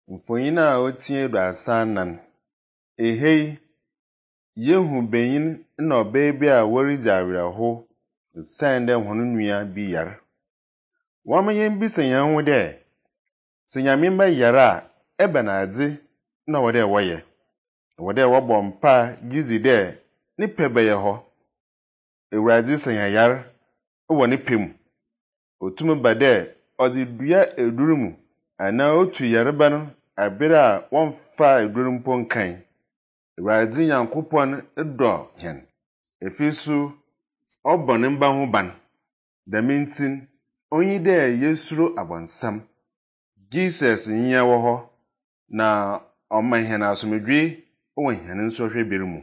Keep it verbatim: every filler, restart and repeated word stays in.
Mfonyina a otie do asanan. Ehei yehu benyin na obaa bi a worizi awerɛho san dɛ hɔn nua bi yar. Wama yɛn bisa yɛn ho dɛ sɛ Nyame ba yar a ɛbɛn adze na wɔdɛ wɔyɛ. Wɔdɛ wɔbɔ mpa gizi dɛ ne pɛ bɛyɛ hɔ. Ewurade sɛ yɛn yar wɔ ne pɛ mu. Otumi ba dɛ ɔdze dua eduru mu ana otu yareba no abere a wɔmfa eduru mpo nkan. Ewurade Nyankopɔn dɔ hɛn. Efi so ɔbɔ ne mba ho ban. Dɛm nti onyi dɛ yesuro abɔnsam. Jesus nyia wɔ hɔ na ɔma hɛn asomdwe wɔ hɛn nsɔhwɛ bere mu.